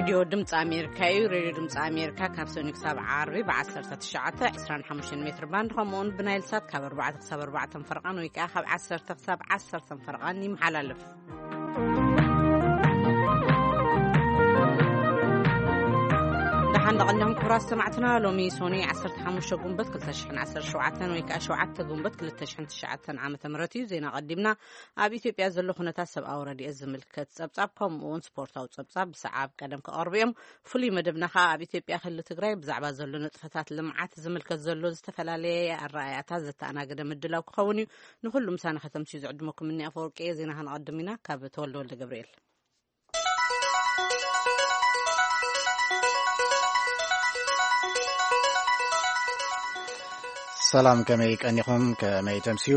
ሬድዮ ድምፂ ኣሜሪካ እዩ። ሬድዮ ድምፂ ኣሜሪካ ካብ ሰኒ ክሳብ ዓርቢ ብ19፣ 25 ሜትር ባንድ፣ ከምኡውን ብናይል ሳት ካብ ኣርባዕተ ክሳብ ኣርባዕተ ፈርቓን ወይ ከዓ ካብ ዓሰርተ ክሳብ ዓሰርተ ፈርቓን ይመሓላለፍ። ደሓን ደቐንኩም ክቡራት ሰማዕትና፣ ሎሚ ሶኒ 15 ጉንበት 2017 ወይ ከዓ 7 ጉንበት 2009 ዓመተ ምህረት እዩ። ዜና ቀዲምና። ኣብ ኢትዮጵያ ዘሎ ኩነታት ሰብኣዊ ረድኤት ዝምልከት ጸብጻብ፣ ከምኡ እውን ስፖርታዊ ጸብጻብ ብሰዓብ ቀደም ክቐርቡ እዮም። ፍሉይ መደብና ከኣ ኣብ ኢትዮጵያ ክልል ትግራይ ብዛዕባ ዘሎ ንጥፈታት ልምዓት ዝምልከት ዘሎ ዝተፈላለየ ኣረኣእያታት ዘተኣናገደ ምድላው ክኸውን እዩ። ንኹሉ ምሳና ከተምስዩ ዝዕድመኩም እኒ ኣፈወርቂ እየ። ዜና ከነቐድም ኢና። ካብ ተወልደ ወልደ ገብርኤል። ሰላም፣ ከመይ ቀኒኹም? ከመይ ተምስዩ?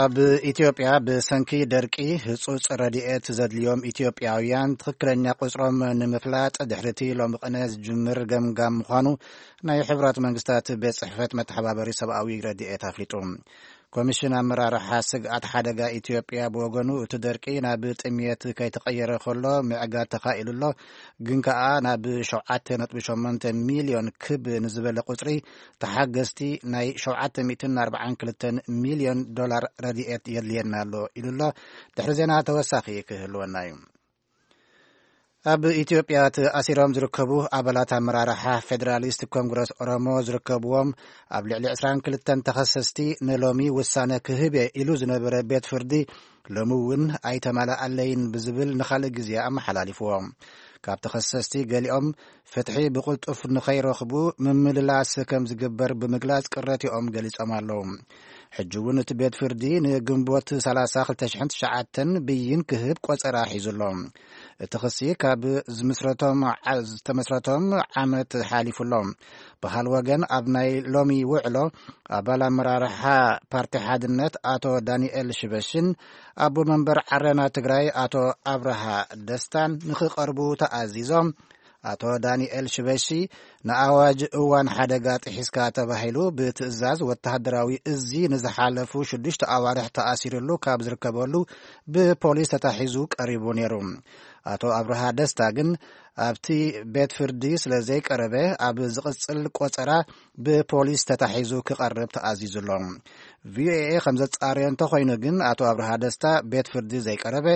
ኣብ ኢትዮጵያ ብሰንኪ ደርቂ ህጹጽ ረድኤት ዘድልዮም ኢትዮጵያውያን ትኽክለኛ ቁጽሮም ንምፍላጥ ድሕሪቲ ሎሚ ቅነ ዝጅምር ገምጋም ምዃኑ ናይ ሕቡራት መንግስታት ቤት ጽሕፈት መተሓባበሪ ሰብኣዊ ረድኤት ኣፍሊጡ። ኮሚሽን ኣመራርሓ ስግኣት ሓደጋ ኢትዮጵያ ብወገኑ፣ እቲ ደርቂ ናብ ጥምየት ከይተቐየረ ከሎ ምዕጋት ተኻኢሉ ኣሎ፣ ግን ከኣ ናብ 7.8 ሚልዮን ክብ ንዝበለ ቁጽሪ ተሓገዝቲ ናይ 742 ሚልዮን ዶላር ረድኤት የድልየና ኣሎ ኢሉ ኣሎ። ድሕሪ ዜና ተወሳኺ ክህልወና እዩ። ኣብ ኢትዮጵያ ተኣሲሮም ዝርከቡ ኣባላት ኣመራርሓ ፌደራሊስት ኮንግረስ ኦሮሞ ዝርከብዎም ኣብ ልዕሊ 22 ተኸሰስቲ ንሎሚ ውሳነ ክህብ እየ ኢሉ ዝነበረ ቤት ፍርዲ፣ ሎሚ እውን ኣይተማልኣለይን ብዝብል ንኻልእ ግዜ ኣመሓላሊፍዎ። ካብ ተኸሰስቲ ገሊኦም ፍትሒ ብቕልጡፍ ንኸይረኽቡ ምምልላስ ከም ዝግበር ብምግላጽ ቅረትኦም ገሊጾም ኣለዉ። ሕጂ እውን እቲ ቤት ፍርዲ ንግንቦት 30 2009 ብይን ክህብ ቆጸራ ሒዙ ኣሎ። እቲ ክሲ ካብ ዝምስረቶም ዓ-፣ ዝተመስረቶም ዓመት ሓሊፉ ኣሎ። ብኻል ወገን፣ ኣብ ናይ ሎሚ ውዕሎ ኣባል ኣመራርሓ ፓርቲ ሓድነት ኣቶ ዳንኤል ሽበሽን ኣቦ መንበር ዓረና ትግራይ ኣቶ ኣብርሃ ደስታን ንኽቐርቡ ተኣዚዞም። ኣቶ ዳንኤል ሽበሺ፣ ንኣዋጅ እዋን ሓደጋ ጥሒስካ ተባሂሉ ብትእዛዝ ወተሃደራዊ እዚ ንዝሓለፉ ሽዱሽተ ኣዋርሕ ተኣሲሩሉ ካብ ዝርከበሉ ብፖሊስ ተታሒዙ ቀሪቡ ነይሩ። ኣቶ ኣብርሃ ደስታ ግን ኣብቲ ቤት ፍርዲ ስለ ዘይቀረበ፣ ኣብ ዝቕጽል ቆጸራ ብፖሊስ ተታሒዙ ክቐርብ ተኣዚዙ ኣሎ። ቪኦኤ ከም ዘጻረዮ እንተኾይኑ ግን፣ ኣቶ ኣብርሃ ደስታ ቤት ፍርዲ ዘይቀረበ፣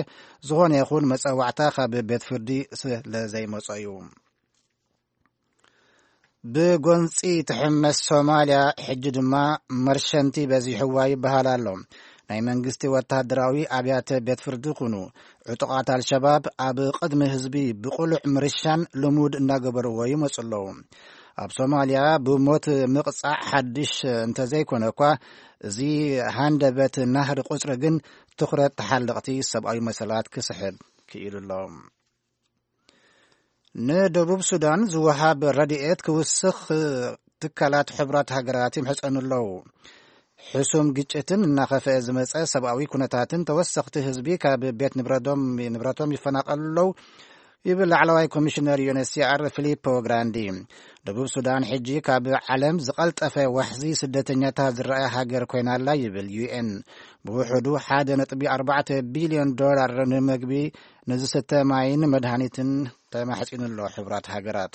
ዝኾነ ይኹን መጸዋዕታ ካብ ቤት ፍርዲ ስለ ዘይመጾ እዩ። ብጎንጺ ትሕመስ ሶማልያ ሕጂ ድማ መርሸንቲ በዚሕዋ ይበሃል ኣሎ። ናይ መንግስቲ ወተሃደራዊ ኣብያተ ቤት ፍርዲ ኩኑ ዕጡቓት ኣልሸባብ ኣብ ቅድሚ ህዝቢ ብቕሉዕ ምርሻን ልሙድ እናገበርዎ ይመጹ ኣለዉ። ኣብ ሶማልያ ብሞት ምቕጻዕ ሓድሽ እንተዘይኮነ እኳ፣ እዚ ሃንደበት ናህሪ ቁጽሪ ግን ትኹረት ተሓለቕቲ ሰብኣዊ መሰላት ክስሕብ ክኢሉ ኣሎ። ንደቡብ ሱዳን ዝወሃብ ረድኤት ክውስኽ ትካላት ሕቡራት ሃገራት ይምሕጸኑ ኣለዉ። ሕሱም ግጭትን እናኸፍአ ዝመጸ ሰብኣዊ ኩነታትን ተወሰኽቲ ህዝቢ ካብ ቤት ንብረቶም፣ ንብረቶም ይፈናቐሉ ኣለዉ ይብል ላዕለዋይ ኮሚሽነር ዩ ኤን ኤች ሲ ኣር ፊሊፖ ግራንዲ። ደቡብ ሱዳን ሕጂ ካብ ዓለም ዝቐልጠፈ ዋሕዚ ስደተኛታት ዝረኣየ ሃገር ኮይና ኣላ ይብል ዩ ኤን። ብውሕዱ 1.4 ቢልዮን ዶላር ንምግቢ፣ ንዝስተ ማይን መድሃኒትን ተማሕጺኑ ኣሎ ሕቡራት ሃገራት።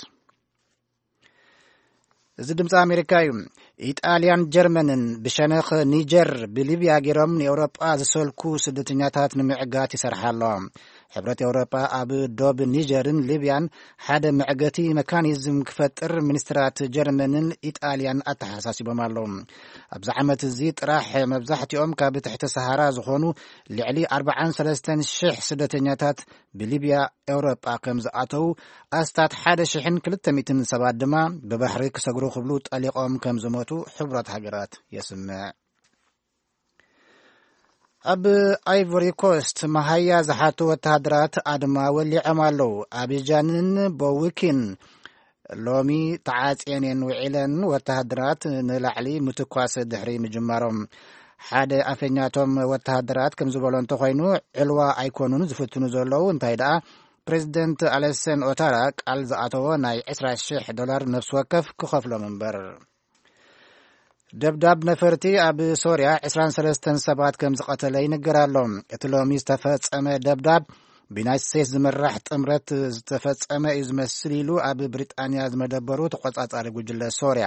እዚ ድምፂ ኣሜሪካ እዩ። ኢጣልያን ጀርመንን ብሸነኽ ኒጀር ብሊብያ ገይሮም ንኤውሮጳ ዝሰልኩ ስደተኛታት ንምዕጋት ይሰርሓ ኣለዋ። ሕብረት ኤውሮጳ ኣብ ዶብ ኒጀርን ሊብያን ሓደ መዕገቲ መካኒዝም ክፈጥር ሚኒስትራት ጀርመንን ኢጣልያን ኣተሓሳሲቦም ኣለዉ። ኣብዚ ዓመት እዚ ጥራሕ መብዛሕትኦም ካብ ትሕቲ ሰሃራ ዝኾኑ ልዕሊ 43,000 ስደተኛታት ብሊብያ ኤውሮጳ ከም ዝኣተዉ፣ ኣስታት 1,200 ሰባት ድማ ብባሕሪ ክሰግሩ ክብሉ ጠሊቖም ከም ዝሞቱ ሕቡራት ሃገራት የስምዕ። ኣብ ኣይቮሪ ኮስት መሃያ ዝሓቱ ወተሃደራት ኣድማ ወሊዖም ኣለዉ። ኣቢጃንን ቦዊኪን ሎሚ ተዓጽየን እየን ውዒለን፣ ወተሃደራት ንላዕሊ ምትኳስ ድሕሪ ምጅማሮም። ሓደ ኣፈኛቶም ወተሃደራት ከም ዝበሎ እንተኾይኑ፣ ዕልዋ ኣይኮኑን ዝፍትኑ ዘለዉ፣ እንታይ ደኣ ፕሬዚደንት ኣለሰን ኦታራ ቃል ዝኣተዎ ናይ 20,000 ዶላር ነፍሲ ወከፍ ክኸፍሎም እምበር። ደብዳብ ነፈርቲ ኣብ ሶርያ 23 ሰባት ከም ዝቐተለ ይንገር ኣሎ። እቲ ሎሚ ዝተፈጸመ ደብዳብ ብዩናይትድ ስቴትስ ዝምራሕ ጥምረት ዝተፈጸመ እዩ ዝመስል ኢሉ ኣብ ብሪጣንያ ዝመደበሩ ተቖጻጻሪ ጉጅለ ሶርያ።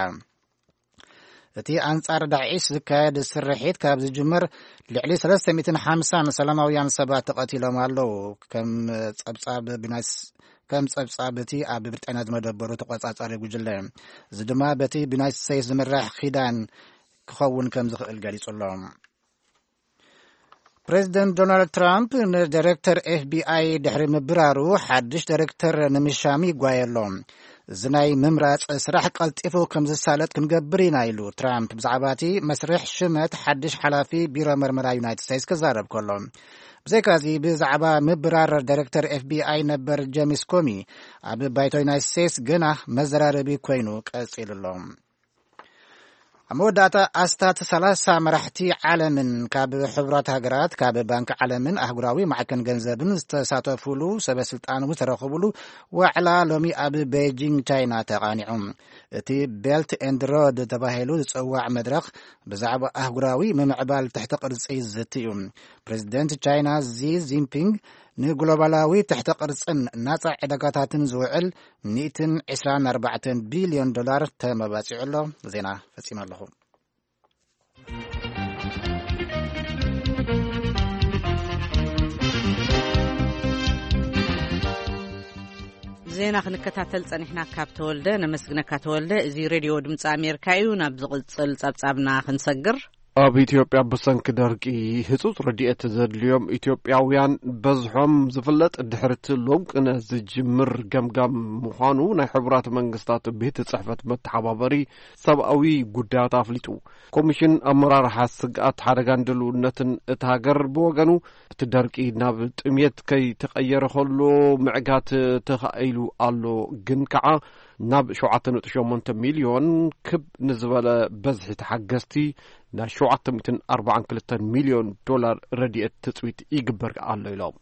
እቲ ኣንጻር ዳዒሽ ዝካየድ ስርሒት ካብ ዝጅምር ልዕሊ ሰለስተ ሚእትን ሓምሳን ሰላማውያን ሰባት ተቐቲሎም ኣለዉ። ከም ጸብጻብ ብናይስ-፣ ከም ጸብጻብ እቲ ኣብ ብሪጣንያ ዝመደበሩ ተቖጻጻሪ ጉጅለ፣ እዚ ድማ በቲ ብዩናይትድ ስቴትስ ዝምራሕ ኪዳን ክኸውን ከም ዝኽእል ገሊጹ ኣሎ። ፕሬዚደንት ዶናልድ ትራምፕ ንዳይሬክተር ኤፍ ቢ ኣይ ድሕሪ ምብራሩ፣ ሓድሽ ዳይሬክተር ንምሻም ይጓየ ኣሎ። እዚ ናይ ምምራጽ ስራሕ ቀልጢፉ ከም ዝሳለጥ ክንገብር ኢና ኢሉ ትራምፕ ብዛዕባ እቲ መስርሕ ሽመት ሓድሽ ሓላፊ ቢሮ መርመራ ዩናይትድ ስቴትስ ክዛረብ ከሎ። ብዘይካዚ ብዛዕባ ምብራር ዳይሬክተር ኤፍ ቢ ኣይ ነበር ጄምስ ኮሚ ኣብ ባይቶ ዩናይትድ ስቴትስ ግና መዘራረቢ ኮይኑ ቀጺሉ ኣሎ። ኣብ መወዳእታ ኣስታት ሰላሳ መራሕቲ ዓለምን ካብ ሕቡራት ሃገራት፣ ካብ ባንክ ዓለምን ኣህጉራዊ ማዕከን ገንዘብን ዝተሳተፉሉ ሰበ ስልጣን ዝተረኸቡሉ ዋዕላ ሎሚ ኣብ ቤጂንግ ቻይና ተቓኒዑ። እቲ ቤልት ኤንድ ሮድ ተባሂሉ ዝጽዋዕ መድረኽ ብዛዕባ ኣህጉራዊ ምምዕባል ትሕቲ ቅርጺ ዝዝቲ እዩ። ፕሬዚደንት ቻይና ዚ ጂንፒንግ ንግሎባላዊ ትሕተ ቅርጽን ናጻ ዕዳጋታትን ዝውዕል ሚእትን ዕስራን ኣርባዕተን ቢልዮን ዶላር ተመባጺዑ ኣሎ። ዜና ፈጺመ ኣለኹ። ዜና ክንከታተል ጸኒሕና ካብ ተወልደ ነመስግነካ። ተወልደ፣ እዚ ሬድዮ ድምፂ ኣሜሪካ እዩ። ናብ ዝቕጽል ጸብጻብና ክንሰግር። ኣብ ኢትዮጵያ ብሰንኪ ደርቂ ህጹጽ ረድኤት ዘድልዮም ኢትዮጵያውያን በዝሖም ዝፍለጥ ድሕሪ እቲ ሎምቅነ ዝጅምር ገምጋም ምዃኑ ናይ ሕቡራት መንግስታት ቤት ጽሕፈት መተሓባበሪ ሰብኣዊ ጉዳያት ኣፍሊጡ። ኮሚሽን ኣመራርሓ ስግኣት ሓደጋን ድልውነትን እታ ሃገር ብወገኑ፣ እቲ ደርቂ ናብ ጥምየት ከይተቐየረ ከሎ ምዕጋት ተኻኢሉ ኣሎ፣ ግን ከዓ ናብ ሸውዓተ ነጥቢ ሸሞንተ ሚልዮን ክብ ንዝበለ በዝሒ ተሓገዝቲ ናይ ሸውዓተ ሚእትን ኣርባዓን ክልተን ሚልዮን ዶላር ረድኤት ትጽቢት ይግበር ኣሎ ኢሎም።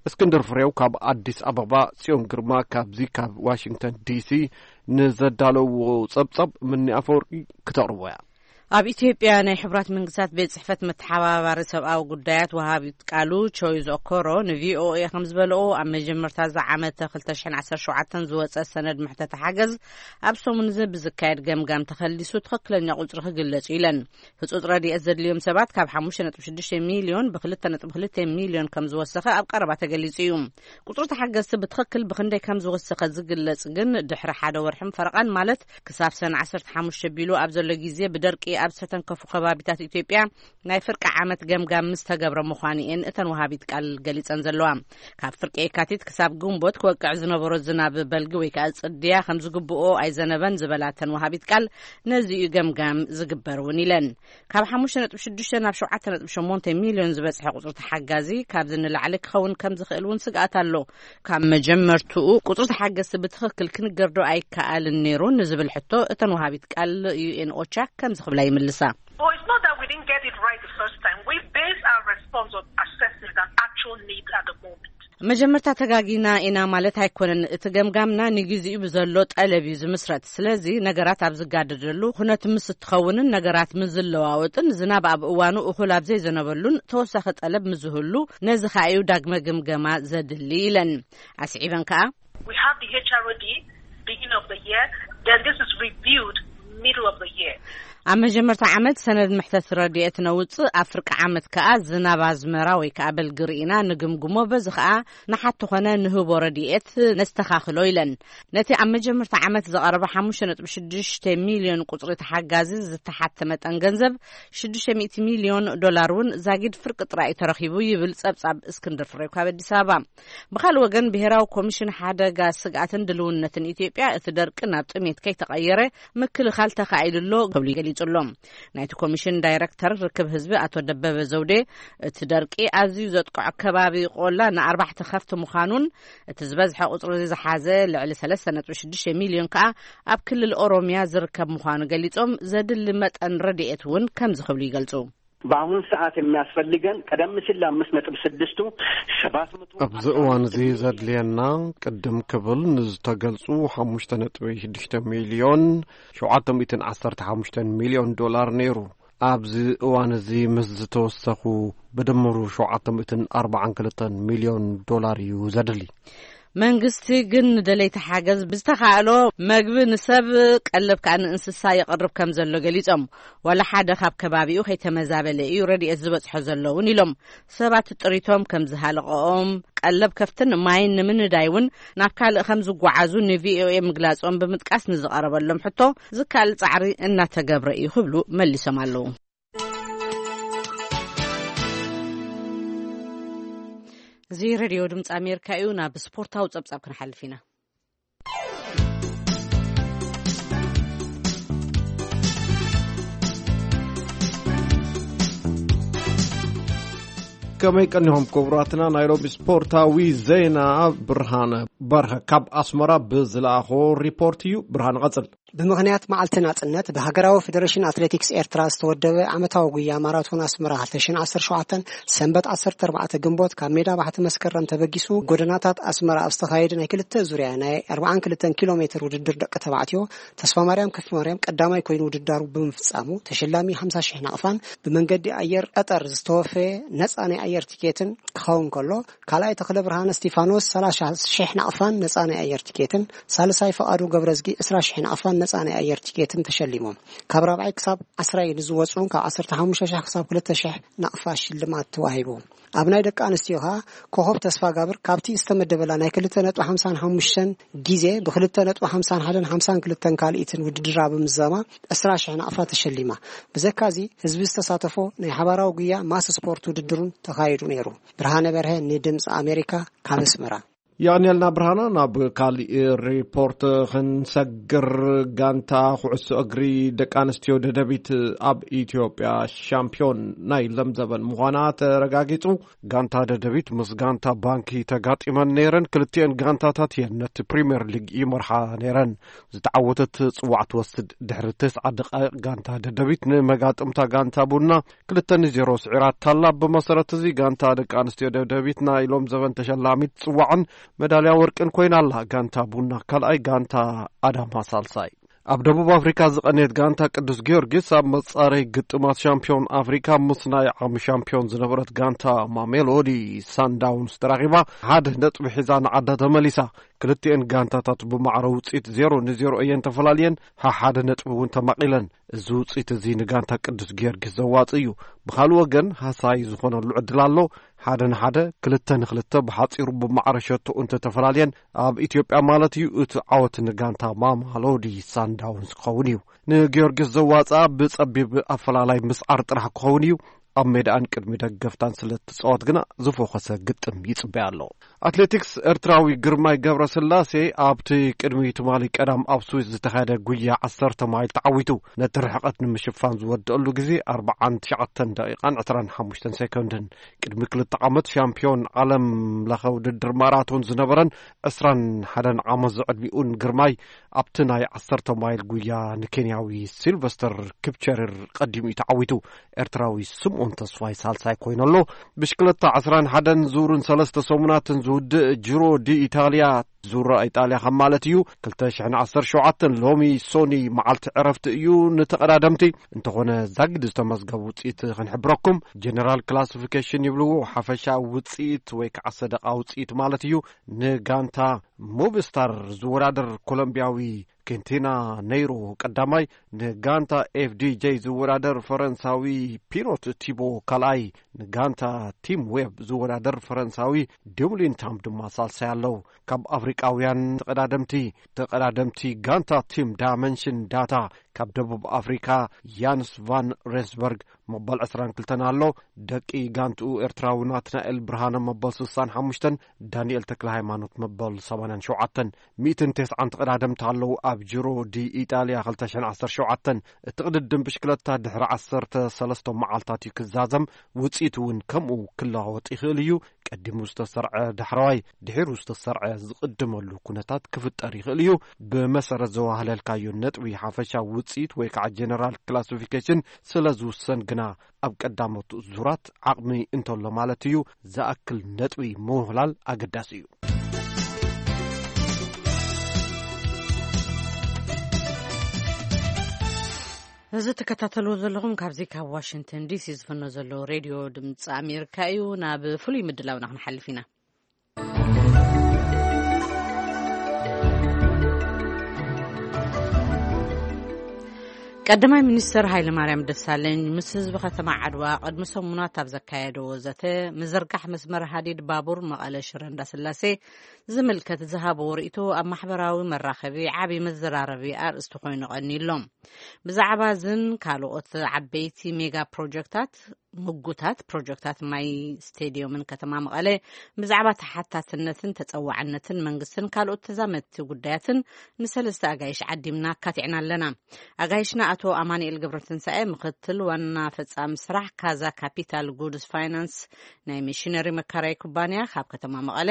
እስክንድር ፍሬው ካብ ኣዲስ ኣበባ፣ ጽዮን ግርማ ካብዚ ካብ ዋሽንግተን ዲሲ ንዘዳለዎ ጸብጻብ ምኒ ኣፈወርቂ ክተቕርቦ እያ። ኣብ ኢትዮጵያ ናይ ሕቡራት መንግስታት ቤት ጽሕፈት መተሓባባሪ ሰብኣዊ ጉዳያት ወሃቢት ቃሉ ቾይዝ ኦኮሮ ንቪኦኤ ከም ዝበለኦ፣ ኣብ መጀመርታ እዚ ዓመት ክልተ ሽሕን ዓሰርተ ሸውዓተን ዝወጸ ሰነድ ምሕተተ ሓገዝ ኣብ ሰሙን እዚ ብዝካየድ ገምጋም ተኸሊሱ ትኽክለኛ ቁጽሪ ክግለጽ እዩ ኢለን። ህጹጽ ረድኤት ዘድልዮም ሰባት ካብ ሓሙሽተ ነጥቢ ሽዱሽተ ሚልዮን ብ ክልተ ነጥቢ ክልተ ሚልዮን ከም ዝወሰኸ ኣብ ቀረባ ተገሊጹ እዩ። ቁጽሪ ተሓገዝቲ ብትኽክል ብኽንደይ ከም ዝወሰኸ ዝግለጽ ግን ድሕሪ ሓደ ወርሕን ፈረቓን፣ ማለት ክሳብ ሰነ ዓሰርተ ሓሙሽተ ቢሉ ኣብ ዘሎ ግዜ ብደርቂ ኣብ ዝተተንከፉ ከባቢታት ኢትዮጵያ ናይ ፍርቂ ዓመት ገምጋም ምስ ተገብረ ምዃኑ እየን እተን ወሃቢት ቃል ገሊጸን ዘለዋ። ካብ ፍርቂ የካቲት ክሳብ ግንቦት ክወቅዕ ዝነበሮ ዝናብ በልጊ ወይ ከዓ ጽድያ ከም ዝግብኦ ኣይዘነበን ዝበላ እተን ወሃቢት ቃል፣ ነዚ እዩ ገምጋም ዝግበር እውን ኢለን። ካብ ሓሙሽተ ነጥቢ ሽዱሽተ ናብ ሸውዓተ ነጥቢ ሸሞንተ ሚልዮን ዝበጽሐ ቁጽሪ ተሓጋዚ ካብዚ ንላዕሊ ክኸውን ከም ዝኽእል እውን ስግኣት ኣሎ። ካብ መጀመርትኡ ቁጽሪ ተሓገዝቲ ብትኽክል ክንገርዶ ኣይከኣልን ነይሩ ንዝብል ሕቶ እተን ወሃቢት ቃል ዩ ኤን ኦቻ ከምዚ ክብላ ይምልሳ። Oh, it's not that we didn't get it right the first time. We base our response on assessment and actual needs at the moment. መጀመርታ ተጋጊና ኢና ማለት ኣይኮነን። እቲ ገምጋምና ንግዜኡ ብዘሎ ጠለብ እዩ ዝምስረት። ስለዚ ነገራት ኣብ ዝጋደደሉ፣ ኩነት ምስ እትኸውንን ነገራት ምስ ዝለዋወጥን፣ ዝናብ ኣብ እዋኑ እኹል ኣብ ዘይዘነበሉን ተወሳኺ ጠለብ ምስ ዝህሉ፣ ነዚ ከኣ እዩ ዳግመ ግምገማ ዘድሊ ኢለን። ኣስዒበን ከኣ We have the H R O D beginning of the year, then this is reviewed middle of the year. ኣብ መጀመርታ ዓመት ሰነድ ምሕተት ረድኤት ነውጽእ፣ ኣብ ፍርቂ ዓመት ከኣ ዝናብ ኣዝመራ ወይ ከኣ በልጊ ርኢና ንግምግሞ፣ በዚ ከኣ ንሓቲ ኾነ ንህቦ ረድኤት ነስተኻኽሎ ኢለን። ነቲ ኣብ መጀመርታ ዓመት ዝቐረበ ሓሙሽተ ነጥቢ ሽዱሽተ ሚልዮን ቁጽሪ ተሓጋዚ ዝተሓተ መጠን ገንዘብ ሽዱሽተ ሚእቲ ሚልዮን ዶላር እውን ዛጊድ ፍርቂ ጥራይ ተረኺቡ ይብል ጸብጻብ እስክንድር ፍሬው ካብ ኣዲስ ኣበባ። ብኻልእ ወገን፣ ብሄራዊ ኮሚሽን ሓደጋ ስግኣትን ድልውነትን ኢትዮጵያ፣ እቲ ደርቂ ናብ ጥሜት ከይተቐየረ ምክልኻል ተኻኢሉ ኣሎ ክብሉ ገሊጹ ኣሎ። ናይቲ ኮሚሽን ዳይረክተር ርክብ ህዝቢ ኣቶ ደበበ ዘውዴ፣ እቲ ደርቂ ኣዝዩ ዘጥቅዖ ከባቢ ቆላ ንኣርባዕተ ከፍቲ ምዃኑን፣ እቲ ዝበዝሐ ቁጽሪ ዝሓዘ ልዕሊ ሰለስተ ነጥቢ ሽዱሽተ ሚልዮን ከኣ ኣብ ክልል ኦሮምያ ዝርከብ ምዃኑ ገሊጾም፣ ዘድሊ መጠን ረድኤት እውን ከምዚ ክብሉ ይገልጹ። በአሁን ሰዓት የሚያስፈልገን ቀደም ሲል ለአምስት ነጥብ ስድስቱ ሰባት መቶ ኣብዚ እዋን እዚ ዘድልየና ቅድም ክብል ንዝተገልጹ ሓሙሽተ ነጥቢ ሽዱሽተ ሚልዮን ሸውዓተ ሚእትን ዓሰርተ ሓሙሽተን ሚልዮን ዶላር ነይሩ። ኣብዚ እዋን እዚ ምስ ዝተወሰኹ ብድምሩ ሸውዓተ ሚእትን ኣርባዓን ክልተን ሚልዮን ዶላር እዩ ዘድሊ። መንግስቲ ግን ንደለይቲ ሓገዝ ብዝተኻእሎ መግቢ ንሰብ፣ ቀለብ ከኣ ንእንስሳ የቕርብ ከም ዘሎ ገሊጾም። ዋላ ሓደ ካብ ከባቢኡ ከይተመዛበለ እዩ ረድኤት ዝበጽሖ ዘሎ እውን ኢሎም። ሰባት ጥሪቶም ከም ዝሃለቐኦም፣ ቀለብ ከፍትን ማይን ንምንዳይ እውን ናብ ካልእ ከም ዝጓዓዙ ንቪኦኤ ምግላጾም ብምጥቃስ፣ ንዝቐረበሎም ሕቶ ዝካል ጻዕሪ እናተገብረ እዩ ክብሉ መሊሶም ኣለዉ። እዚ ሬድዮ ድምፂ ኣሜሪካ እዩ። ናብ ስፖርታዊ ጸብጻብ ክንሓልፍ ኢና። ከመይ ቀኒኹም ክቡራትና? ናይ ሎሚ ስፖርታዊ ዜና ብርሃነ በርሀ ካብ ኣስመራ ብዝለኣኾ ሪፖርት እዩ። ብርሃነ፣ ቀጽል። ብምኽንያት መዓልቲ ናጽነት ብሃገራዊ ፌደሬሽን ኣትሌቲክስ ኤርትራ ዝተወደበ ዓመታዊ ጉያ ማራቶን ኣስመራ ክልተ ሽሕን ዓሰርተ ሸውዓተን ሰንበት ዓሰርተ ኣርባዕተ ግንቦት ካብ ሜዳ ባሕቲ መስከረም ተበጊሱ ጎደናታት ኣስመራ ኣብ ዝተኻየደ ናይ ክልተ ዙርያ ናይ ኣርባዓን ክልተን ኪሎ ሜትር ውድድር ደቂ ተባዕትዮ ተስፋ ማርያም ከፍ ማርያም ቀዳማይ ኮይኑ ውድዳሩ ብምፍጻሙ ተሸላሚ ሓምሳ ሽሕ ናቕፋን ብመንገዲ ኣየር ቀጠር ዝተወፈየ ነጻ ናይ ኣየር ቲኬትን ክኸውን ከሎ፣ ካልኣይ ተኽለ ብርሃነ እስቲፋኖስ ሰላሳ ሽሕ ናቕፋን ነጻ ናይ ኣየር ቲኬትን፣ ሳልሳይ ፈቓዱ ገብረዝጊ ዕስራ ሽሕ ናቕፋን ነጻ ናይ ኣየር ቲኬትን ተሸሊሞም። ካብ ራብዓይ ክሳብ ዓስራይ ንዝወጹ ካብ ዓሰርተ ሓሙሽተ ሽሕ ክሳብ ክልተ ሽሕ ናቕፋ ሽልማት ተዋሂቡ። ኣብ ናይ ደቂ ኣንስትዮ ከኣ ኮኸብ ተስፋ ጋብር ካብቲ ዝተመደበላ ናይ ክልተ ነጥቢ ሓምሳን ሓሙሽተን ግዜ ብክልተ ነጥቢ ሓምሳን ሓደን ሓምሳን ክልተን ካልኢትን ውድድራ ብምዛማ ዕስራ ሽሕ ናቕፋ ተሸሊማ። ብዘካዚ ህዝቢ ዝተሳተፎ ናይ ሓባራዊ ጉያ ማስ ስፖርት ውድድሩን ተኻይዱ ነይሩ። ብርሃነ በርሀ ንድምፂ ኣሜሪካ ካብ ኣስመራ። የቐንየልና ብርሃና። ናብ ካሊእ ሪፖርት ክንሰግር፣ ጋንታ ኩዕሶ እግሪ ደቂ ኣንስትዮ ደደቢት ኣብ ኢትዮጵያ ሻምፒዮን ናይ ለምዘበን ምዃና ተረጋጊጹ። ጋንታ ደደቢት ምስ ጋንታ ባንኪ ተጋጢመን ነይረን። ክልቲኤን ጋንታታት እየን ነቲ ፕሪምየር ሊግ ይመርሓ ነይረን። ዝተዓወተት ጽዋዕ ትወስድ። ድሕሪ ተስዓ ደቃይቕ ጋንታ ደደቢት ንመጋጥምታ ጋንታ ቡና ክልተ ንዜሮ ስዒራታላ። ብመሰረት እዚ ጋንታ ደቂ ኣንስትዮ ደደቢት ናይ ሎም ዘበን ተሸላሚት ጽዋዕን መዳልያ ወርቅን ኮይና ኣላ። ጋንታ ቡና ካልኣይ፣ ጋንታ ኣዳማ ሳልሳይ። ኣብ ደቡብ ኣፍሪካ ዝቐነየት ጋንታ ቅዱስ ጊዮርጊስ ኣብ መጻረይ ግጥማት ሻምፒዮን ኣፍሪካ ምስ ናይ ዓቕሚ ሻምፒዮን ዝነበረት ጋንታ ማሜሎዲ ሳንዳውንስ ተራኺባ ሓደ ነጥቢ ሒዛ ንዓዳ ተመሊሳ። ክልቲኤን ጋንታታት ብማዕረ ውፅኢት ዜሮ ንዜሮ እየን ተፈላልየን፣ ሓሓደ ነጥቢ እውን ተማቒለን። እዚ ውፅኢት እዚ ንጋንታ ቅዱስ ጊዮርጊስ ዘዋፅእ እዩ። ብኻልእ ወገን ሃሳይ ዝኾነሉ ዕድል ኣሎ። ሓደ ንሓደ፣ ክልተ ንክልተ ብሓፂሩ ብማዕረ ሸቶ እንተተፈላልየን፣ ኣብ ኢትዮጵያ ማለት እዩ፣ እቲ ዓወት ንጋንታ ማማሎዲ ሳንዳውንስ ክኸውን እዩ። ንጊዮርጊስ ዘዋፅኣ ብፀቢብ ኣፈላላይ ምስዓር ጥራሕ ክኸውን እዩ። ኣብ ሜዳኣን ቅድሚ ደገፍታን ስለ እትፃወት ግና ዝፎኸሰ ግጥም ይፅበያ ኣሎ። ኣትሌቲክስ ኤርትራዊ ግርማይ ገብረስላሴ ኣብቲ ቅድሚ ትማሊ ቀዳም ኣብ ስዊስ ዝተኻየደ ጉያ ዓሰርተ ማይል ተዓዊቱ። ነቲ ርሕቐት ንምሽፋን ዝወደአሉ ግዜ ኣርብዓን ትሽዓተን ደቂቓን ዕስራን ሓሙሽተን ሴኮንድን። ቅድሚ ክልተ ዓመት ሻምፒዮን ዓለም ለኸ ውድድር ማራቶን ዝነበረን ዕስራን ሓደን ዓመት ዝዕድሚኡን ግርማይ ኣብቲ ናይ ዓሰርተ ማይል ጉያ ንኬንያዊ ሲልቨስተር ኪፕቸርር ቀዲሙ እዩ ተዓዊቱ። ኤርትራዊ ስምኦን ተስፋይ ሳልሳይ ኮይኑ ኣሎ። ብሽክለታ ዕስራን ሓደን ዙርን ሰለስተ ሰሙናትን ዝውድእ ጂሮ ዲ ኢታልያ፣ ዙር ኢጣልያ ከም ማለት እዩ፣ ክልተ ሽሕን ዓሰርተ ሸውዓተን ሎሚ ሶኒ መዓልቲ ዕረፍቲ እዩ ንተቐዳደምቲ። እንተኾነ ዛግድ ዝተመዝገቡ ውፅኢት ክንሕብረኩም። ጀነራል ክላሲፊኬሽን ይብልዎ፣ ሓፈሻ ውፅኢት ወይ ከዓ ሰደቓ ውፅኢት ማለት እዩ። ንጋንታ ሙቭስታር ዝወዳደር ኮሎምቢያዊ ኬንቲና ነይሮ ቀዳማይ፣ ንጋንታ ኤፍዲጄ ዝወዳደር ፈረንሳዊ ፒኖት ቲቦ ካልኣይ፣ ንጋንታ ቲም ዌብ ዝወዳደር ፈረንሳዊ ዱምሊን ታም ድማ ሳልሳይ ኣለዉ። ካብ ኣፍሪቃውያን ተቐዳደምቲ፣ ተቐዳደምቲ ጋንታ ቲም ዳይመንሽን ዳታ ካብ ደቡብ ኣፍሪካ ያንስ ቫን ሬስበርግ መበል ዕስራን ክልተን ኣሎ። ደቂ ጋንትኡ ኤርትራዊ ናትናኤል ብርሃነ መበል ስሳን ሓሙሽተን፣ ዳንኤል ተክለ ሃይማኖት መበል ሰማንያን ሸውዓተን። ሚእትን ተስዓን ተቐዳደምቲ ኣለዉ ኣብ ጅሮ ዲ ኢጣልያ ክልተ ሽሕን ዓሰርተ ሸውዓተን። እቲ ቅድድም ብሽክለታ ድሕሪ ዓሰርተ ሰለስተ መዓልታት እዩ ክዛዘም። ውጽኢት እውን ከምኡ ክለዋወጥ ይኽእል እዩ። ቀዲሙ ዝተሰርዐ ዳሕረዋይ ድሒሩ ዝተሰርዐ ዝቕድመሉ ኩነታት ክፍጠር ይኽእል እዩ። ብመሰረት ዘዋህለልካዮ ነጥቢ ሓፈሻ ውጽኢት ወይ ከዓ ጀነራል ክላሲፊኬሽን ስለ ዝውሰን ግና ኣብ ቀዳሞት ዙራት ዓቕሚ እንተሎ ማለት እዩ ዝኣክል ነጥቢ ምውህላል ኣገዳሲ እዩ። እዚ ትከታተልዎ ዘለኹም ካብዚ ካብ ዋሽንግተን ዲሲ ዝፍኖ ዘሎ ሬድዮ ድምፂ ኣሜሪካ እዩ። ናብ ፍሉይ ምድላውና ክንሓልፍ ኢና። ቀዳማይ ሚኒስትር ሃይለማርያም ደሳለኝ ምስ ህዝቢ ከተማ ዓድዋ ቅድሚ ሰሙናት ኣብ ዘካየደዎ ዘተ፣ ምዝርጋሕ መስመር ሃዲድ ባቡር መቐለ ሽረ እንዳስላሴ ዝምልከት ዝሃበዎ ርእይቶ ኣብ ማሕበራዊ መራኸቢ ዓቢ መዘራረቢ ኣርእስቲ ኮይኑ ቀኒሎም። ብዛዕባ እዝን ካልኦት ዓበይቲ ሜጋ ፕሮጀክታት፣ ምጉታት ፕሮጀክታት ማይ ስቴድዮምን ከተማ መቐለ ብዛዕባ ተሓታትነትን ተጸዋዕነትን መንግስትን ካልኦት ተዛመድቲ ጉዳያትን ንሰለስተ ኣጋይሽ ዓዲምና ኣካቲዕና ኣለና። ኣጋይሽና ኣቶ ኣማኑኤል ገብረትንሳኤ፣ ምክትል ዋና ፈጻሚ ስራሕ ካዛ ካፒታል ጉድስ ፋይናንስ ናይ ሚሽነሪ መካራይ ኩባንያ ካብ ከተማ መቐለ፣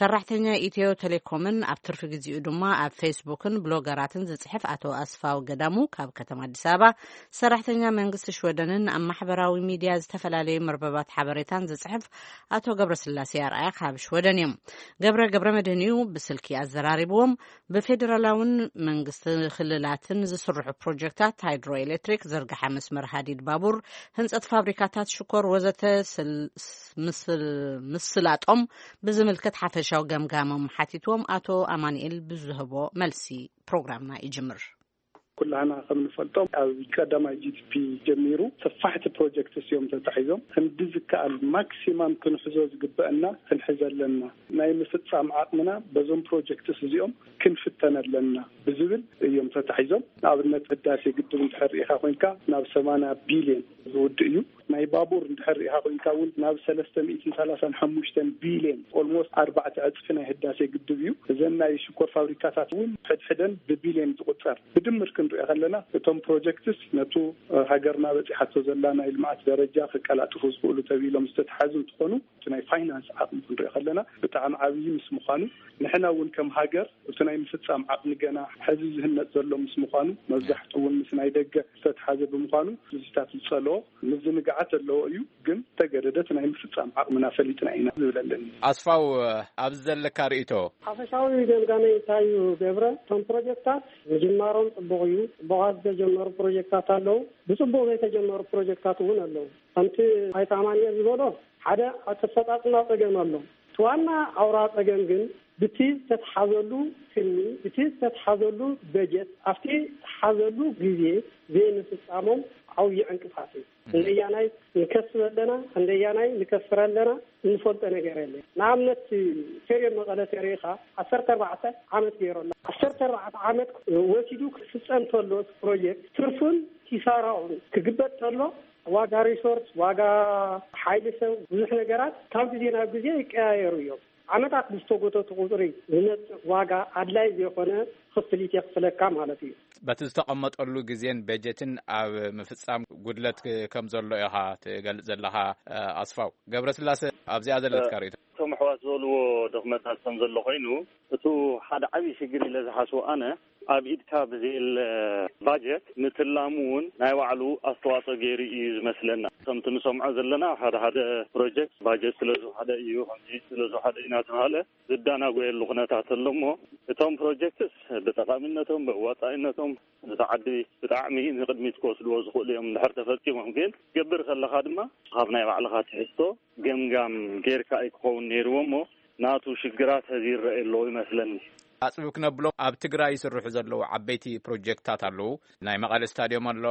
ሰራሕተኛ ኢትዮ ቴሌኮምን ኣብ ትርፊ ግዚኡ ድማ ኣብ ፌስቡክን ብሎገራትን ዝጽሕፍ ኣቶ ኣስፋው ገዳሙ ካብ ከተማ ኣዲስ ኣበባ፣ ሰራሕተኛ መንግስቲ ሽወደንን ኣብ ማሕበራዊ ሚድያ ዝተፈላለዩ መርበባት ሓበሬታን ዝጽሕፍ ኣቶ ገብረስላሴ ኣርኣያ ካብ ሽወደን እዮም። ገብረ ገብረ መድህን እዩ ብስልኪ ኣዘራሪብዎም። ብፌዴራላውን መንግስቲ ክልላትን ዝስርሑ ፕሮጀክታት ሃይድሮ ኤሌክትሪክ፣ ዝርግሐ መስመር ሃዲድ ባቡር፣ ህንጸት ፋብሪካታት ሽኮር ወዘተ ስል-፣ ምስል-፣ ምስላጦም ብዝምልከት ሓፈሻዊ ገምጋሞም ሓቲትዎም ኣቶ ኣማኑኤል ብዝህቦ መልሲ ፕሮግራምና ይጅምር። ኩላህና ከም ንፈልጦ ኣብ ቀዳማይ ጂ ዲ ፒ ጀሚሩ ሰፋሕቲ ፕሮጀክትስ እዮም ተታሒዞም። ክንዲ ዝከኣል ማክሲማም ክንሕዞ ዝግበአና ክንሕዘ ኣለና። ናይ ምፍጻም ዓቕምና በዞም ፕሮጀክትስ እዚኦም ክንፍተን ኣለና ብዝብል እዮም ተታሒዞም። ንኣብነት ህዳሴ ግድብ እንድሕር ርኢኻ ኮይንካ ናብ ሰማንያ ቢልዮን ዝውድእ እዩ። ናይ ባቡር እንድሕር ርኢኻ ኮይንካ እውን ናብ ሰለስተ ሚእትን ሰላሳን ሓሙሽተን ቢልዮን፣ ኦልሞስት ኣርባዕተ ዕፅፊ ናይ ህዳሴ ግድብ እዩ። እዘን ናይ ሽኮር ፋብሪካታት እውን ሕድሕደን ብቢልዮን ዝቁፀር። ብድምር ክንሪኦ ከለና እቶም ፕሮጀክትስ ነቱ ሃገርና በፂሓቶ ዘላ ናይ ልምዓት ደረጃ ከቀላጥፉ ዝኽእሉ ተባሂሎም ዝተተሓዙ እንትኾኑ፣ እቲ ናይ ፋይናንስ ዓቕሚ ክንሪኦ ከለና ብጣዕሚ ዓብዪ ምስ ምዃኑ፣ ንሕና እውን ከም ሃገር እቲ ናይ ምፍጻም ዓቕሚ ገና ሕዚ ዝህነጽ ዘሎ ምስ ምዃኑ፣ መብዛሕትኡ እውን ምስ ናይ ደገ ዝተተሓዘ ብምዃኑ፣ ምስዚታት ዝጸልኦ ምዝንጋዓት ዘለዎ እዩ። ግን ተገደደ እቲ ናይ ምፍጻም ዓቕምና ፈሊጥና ኢና ዝብል ኣለኒ። ኣስፋው፣ ኣብዚ ዘለካ ርእይቶ? ሓፈሻዊ ገምጋመይ እንታይ እዩ ገብረ? እቶም ፕሮጀክታት ምጅማሮም ጽቡቕ እዩ። ጽቡቓት ዝተጀመሩ ፕሮጀክታት ኣለዉ። ብጽቡቕ ዘይተጀመሩ ፕሮጀክታት እውን ኣለዉ። ከምቲ ኣይተ ኣማኑኤል ዝበሎ፣ ሓደ ኣፈጻጽማ ጸገም ኣሎ። እቲ ዋና ኣውራ ጸገም ግን ብቲ ዝተትሓዘሉ ትልሚ፣ ብቲ ዝተትሓዘሉ በጀት፣ ኣብቲ ዝተሓዘሉ ግዜ ዘይምፍጻሞም ዓብዪ ዕንቅፋት እዩ። ክንደያናይ ንከስብ ኣለና፣ ክንደያናይ ንከስር ኣለና፣ እንፈልጦ ነገር የለን። ንኣብነት፣ ስቴድየም መቐለ ተሪኢኻ ዓሰርተ ኣርባዕተ ዓመት ገይሩ ኣሎ። ዓሰርተ ኣርባዕተ ዓመት ወሲዱ ክፍጸም ተሎ እቲ ፕሮጀክት፣ ትርፉን ኪሳራኡን ክግበጥ ተሎ፣ ዋጋ ሪሶርስ፣ ዋጋ ሓይሊ ሰብ፣ ብዙሕ ነገራት ካብ ግዜ ናብ ግዜ ይቀያየሩ እዮም። ዓመታት ብዝተጎተቱ ቁጽሪ ዝመጽእ ዋጋ ኣድላይ ዘይኮነ ክፍሊት የኽፍለካ ማለት እዩ። በቲ ዝተቐመጠሉ ግዜን በጀትን ኣብ ምፍጻም ጉድለት ክ-፣ ከም ዘሎ ኢኻ ትገልጽ ዘለኻ፣ እ፣ ኣስፋው። ገብረስላሰ፣ ኣብዚኣ ዘለትካ ርእይቶ? እቶም ኣሕዋት ዝበልዎ ድኽመታት ከም ዘሎ ኮይኑ፣ እቱ ሓደ ዓብዪ ሽግር ኢለ ዝሓስቦ ኣነ፣ ኣብ ኢድካ ብዘየለ ባጀት ምትላሙ እውን ናይ ባዕሉ ኣስተዋፅኦ ገይሩ እዩ ዝመስለና። ከምቲ ንሰምዖ ዘለና፣ ሓደ ሓደ ፕሮጀክት ባጀት ስለ ዝወሓደ እዩ፣ ከምዚ ስለ ዝወሓደ እዩ እናተባሃለ ዝዳናጎየሉ ኩነታት ኣሎ እሞ፣ እቶም ፕሮጀክትስ ብጠቓሚነቶም፣ ብእዋፃኢነቶም፣ ነታ ዓዲ ብጣዕሚ ንቕድሚት ክወስድዎ ዝኽእሉ እዮም እንድሕር ተፈፂሞም። ግን ክትገብር ከለኻ ድማ ካብ ናይ ባዕልኻ ትሕዝቶ ገምጋም ጌርካ እዩ ክኸውን ነይርዎ እሞ፣ ናቱ ሽግራት ሐዚ ይረኣይ ኣለዎ ይመስለኒ። ኣጽቢብ ክነብሎም፣ ኣብ ትግራይ ይስርሑ ዘለዉ ዓበይቲ ፕሮጀክትታት ኣለዉ። ናይ መቐለ ስታድዮም ኣሎ፣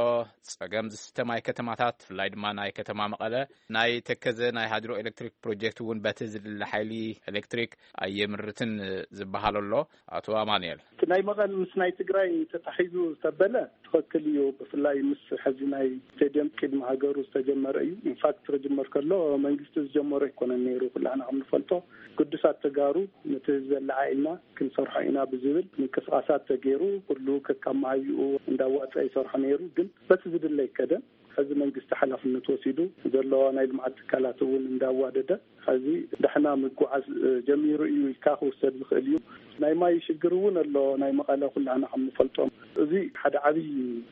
ጸገም ዝስተ ማይ ከተማታት፣ ብፍላይ ድማ ናይ ከተማ መቐለ፣ ናይ ተከዘ ናይ ሃይድሮ ኤሌክትሪክ ፕሮጀክት እውን በቲ ዝድለ ሓይሊ ኤሌክትሪክ ኣየምርትን ዝበሃል ኣሎ። ኣቶ ኣማኑኤል። እቲ ናይ መቐለ ምስ ናይ ትግራይ ተታሒዙ ዝተበለ ትኽክል እዩ። ብፍላይ ምስ ሕዚ ናይ ስቴድየም ቅድሚ ሃገሩ ዝተጀመረ እዩ። ኢንፋክት ክጅመር ከሎ መንግስቲ ዝጀመሮ ኣይኮነን ነይሩ። ኩላህና ከም ንፈልጦ ግዱሳት ተጋሩ ነቲ ህዝቢ ኣለዓዒልና ክንሰርሖ ኢና ብዝብል ምንቅስቃሳት ተገይሩ፣ ኩሉ ከካብ መሃይኡ እንዳዋፀ ይሰርሖ ነይሩ። ግን በቲ ዝድለ ኣይከደን። ሕዚ መንግስቲ ሓላፍነት ወሲዱ፣ ዘለዎ ናይ ልምዓት ትካላት እውን እንዳዋደደ፣ ሕዚ ዳሕና ምጉዓዝ፣ እ፣ ጀሚሩ እዩ ኢልካ ክውሰድ ዝኽእል እዩ። ናይ ማይ ሽግር እውን ኣሎ፣ ናይ መቐለ ኩላህና ከም ንፈልጦም። እዚ ሓደ ዓብዪ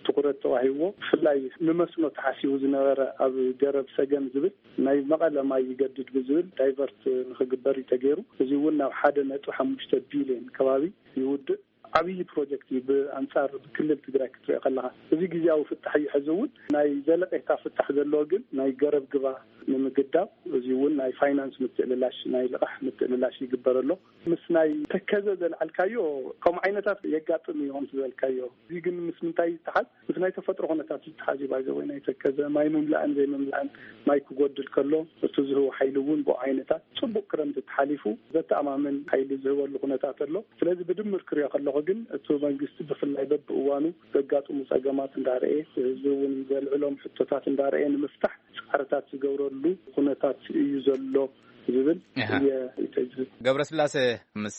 ትኹረት ተዋሂብዎ፣ ብፍላይ ንመስኖ ተሓሲቡ ዝነበረ ኣብ ገረብ ሰገን ዝብል ናይ መቐለ ማይ ይገድድ ብዝብል ዳይቨርት ንኽግበር እዩ ተገይሩ። እዚ እውን ናብ ሓደ ነጥቢ ሓሙሽተ ቢልዮን ከባቢ ይውድእ። ዓብዪ ፕሮጀክት እዩ። ብኣንጻር ክልል ትግራይ ክትሪኦ ከለኻ፣ እዚ ግዜያዊ ፍታሕ እዩ። ሕዚ እውን ናይ ዘለቄታ ፍታሕ ዘለዎ ግን ናይ ገረብ ግባ ንምግዳብ፣ እዚ እውን ናይ ፋይናንስ ምትእልላሽ፣ ናይ ልቓሕ ምትእልላሽ ይግበር ኣሎ። ምስ ናይ ተከዘ ዘልዓልካዮ ከምኡ ዓይነታት የጋጥም እዩ። ከምቲ ዝበልካዮ፣ እዚ ግን ምስ ምንታይ ይተሓዝ? ምስ ናይ ተፈጥሮ ኩነታት ይተሓዝ እዩ። ባይዘ ወይ ናይ ተከዘ ማይ ምምላእን ዘይምምላእን፣ ማይ ክጎድል ከሎ እቲ ዝህቦ ሓይሊ እውን ብኡ ዓይነታት፣ ጽቡቅ ክረምቲ ተሓሊፉ ዘተኣማምን ሓይሊ ዝህበሉ ኩነታት ኣሎ። ስለዚ ብድምር ክሪኦ ከለኹ ግን እቲ መንግስቲ ብፍላይ በብእዋኑ ዘጋጥሙ ጸገማት እንዳረኤ፣ ህዝቢ እውን ዘልዕሎም ሕቶታት እንዳረኤ ንምፍታሕ ጻዕርታት ዝገብረሉ ኩነታት እዩ ዘሎ ዝብል እየ። ገብረስላሴ፣ ምስ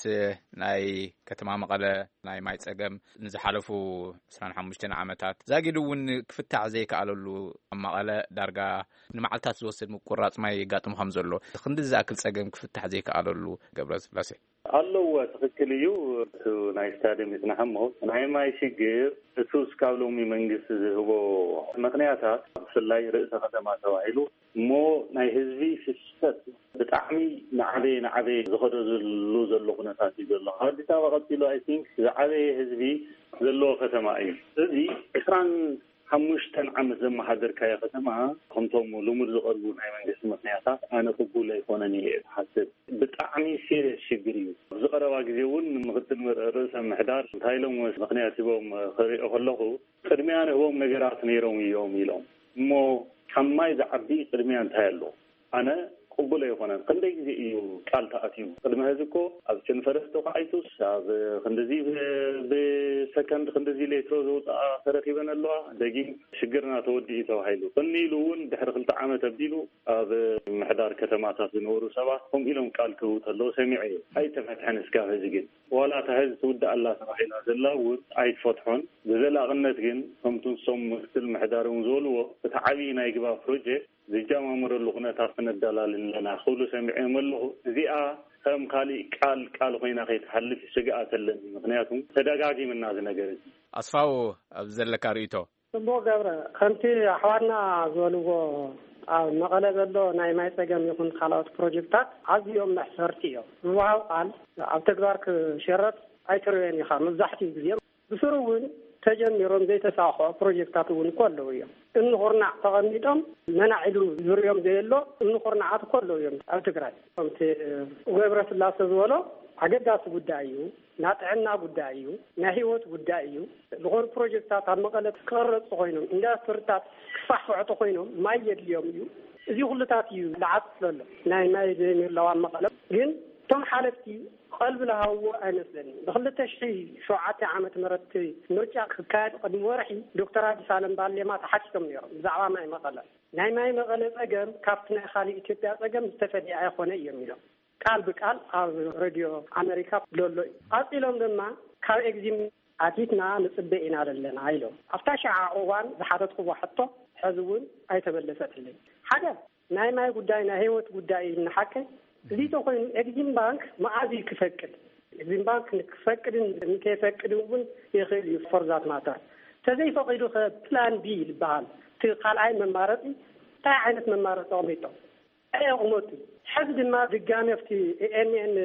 ናይ ከተማ መቐለ ናይ ማይ ጸገም ንዝሓለፉ ዕስራን ሓሙሽተን ዓመታት ዛጊድ እውን ክፍታሕ ዘይከኣለሉ፣ ኣብ መቐለ ዳርጋ ንመዓልታት ዝወስድ ምቁራጽ ማይ የጋጥም ከም ዘሎ፣ ክንዲ ዝኣክል ጸገም ክፍታሕ ዘይከኣለሉ፣ ገብረስላሴ? ኣለዎ፣ ትኽክል እዩ። እቲ ናይ ስታድየም ይጽናሕ እሞ፣ ናይ ማይ ሽግር እቱ እስካብ ሎሚ መንግስቲ ዝህቦ ምኽንያታት፣ ብፍላይ ርእሰ ከተማ ተባሂሉ እሞ፣ ናይ ህዝቢ ፍሰት ብጣዕሚ ናዕበየ ናዕበየ ዝኸደሉ ዘሎ ኩነታት እዩ ዘሎ። ካብ ኣዲስ ኣበባ ቀፂሉ፣ ኣይ ቲንክ፣ ዝዓበየ ህዝቢ ዘለዎ ከተማ እዩ። እዚ ዕስራን ሓሙሽተን ዓመት ዘመሓደርካዮ ከተማ፣ ከምቶም ልሙድ ዝቐርቡ ናይ መንግስቲ ምኽንያታት፣ ኣነ ቅቡል ኣይኮነን እየ ዝሓስብ። ብጣዕሚ ሲሪየስ ሽግር እዩ። ኣብዚ ቀረባ ግዜ እውን ምክትል ርእሰ ምሕዳር እንታይ ኢሎም ምኽንያት ሂቦም ክሪኦ ከለኹ፣ ቅድሚያ ንህቦም ነገራት ነይሮም እዮም ኢሎም። እሞ ካብ ማይ ዝዓቢ ቅድሚያ እንታይ ኣሎ? ኣነ ቅቡል ኣይኮነን። ክንደይ ግዜ እዩ ቃል ተኣትዩ? ቅድሚ ሕዚ እኮ ኣብ ቸንፈረስ ተኳዒቱስ፣ ኣብ ክንድዚ ብ-፣ ብሰከንድ ክንድዚ ሌትሮ ዘውፅኣ ተረኪበን ኣለዋ። ደጊም ሽግርና ተወዲኡ ተባሂሉ። ቅኒ ኢሉ እውን ድሕሪ ክልተ ዓመት ኣቢሉ ኣብ ምሕዳር ከተማታት ዝነበሩ ሰባት ከምኡ ኢሎም ቃል ክህቡ ተለዉ ሰሚዐ እየ። ኣይተፈትሐን እስካብ ሕዚ ግን። ዋላ እታ ሕዚ ትውዳእ ኣላ ተባሂላ ዘላ እውን ኣይትፈትሖን። ብዘላቕነት ግን ከምቲ ንሶም ምክትል ምሕዳር እውን ዝበልዎ፣ እቲ ዓብዪ ናይ ግባ ፕሮጀክት ዝጀማመረሉ ኩነታት ክነዳላልን ኣለና ክብሉ ሰሚዐዮም ኣለኹ። እዚኣ ከም ካሊእ ቃል ቃል ኮይና ከይትሓልፍ ስግኣት ኣለኒ። ምኽንያቱ ተደጋጊምና እዚ ነገር እዚ። ኣስፋው፣ ኣብ ዘለካ ርእይቶ? ጽቡቕ ገብረ፣ ከምቲ ኣሕዋትና ዝበልዎ፣ ኣብ መቐለ ዘሎ ናይ ማይ ጸገም ይኹን ካልኦት ፕሮጀክታት ኣዝዮም መሕፈርቲ እዮም። ዝወሃብ ቃል ኣብ ተግባር ክሸረጥ ኣይትርእዮን ኢኻ። መብዛሕትኡ ግዜ ብስሩ እውን ተጀሚሮም ዘይተሳኽዖ ፕሮጀክታት እውን እኮ ኣለዉ እዮም። እምኒ ኩርናዕ ተቐሚጦም መናዕ ኢሉ ዝርእዮም ዘየሎ እምኒ ኩርናዓት እኮ ኣለዉ እዮም ኣብ ትግራይ። ከምቲ ገብረ ስላሴ ዝበሎ ኣገዳሲ ጉዳይ እዩ። ናይ ጥዕና ጉዳይ እዩ። ናይ ህይወት ጉዳይ እዩ። ዝኾኑ ፕሮጀክታት ኣብ መቐለ ክቕረፁ ኮይኖም፣ ኢንዳስትሪታት ክፋሕፍሑ ኮይኖም ማይ የድልዮም እዩ። እዚ ኩሉታት እዩ ዝዓፅፍ ዘሎ። ናይ ማይ ዘይምህላው ኣብ መቐለ ግን እቶም ሓለፍቲ ቀልቢ ዝሃብዎ ኣይመስለኒ። ብክልተ ሽሕ ሸውዓተ ዓመተ ምህረት ምርጫ ክካየድ ቅድሚ ወርሒ ዶክተር ኣዲስ ኣለም ባሌማ ተሓቲቶም ነይሮም ብዛዕባ ማይ መቐለ። ናይ ማይ መቐለ ጸገም ካብቲ ናይ ካልእ ኢትዮጵያ ጸገም ዝተፈለየ ኣይኮነ እዮም ኢሎም። ቃል ብቃል ኣብ ሬድዮ ኣመሪካ ዘሎ እዩ። ቀጺሎም ድማ ካብ ኤግዚም ኣቲትና ንጽበ ኢና ዘለና ኢሎም። ኣብታ ሸዓ እዋን ዝሓተትኩዎ ሕቶ ሕዚ እውን ኣይተመለሰትለይ። ሓደ ናይ ማይ ጉዳይ ናይ ህይወት ጉዳይ እዩ። ንሓቀይ እዚ ተኮይኑ ኤግዚም ባንክ መዓዝ እዩ ክፈቅድ? ኤግዚም ባንክ ንክፈቅድን ንከይፈቅድን እውን ይኽእል እዩ። ፎርዛት ማተር ተዘይፈቂዱ ከ ፕላን ቢ ዝበሃል እቲ ካልኣይ መማረፂ እንታይ ዓይነት መማረፂ ኣቕሚጦም? እንታይ ኣቕመጡ? ሕዚ ድማ ድጋሚ ኣብቲ ኤኤንኤን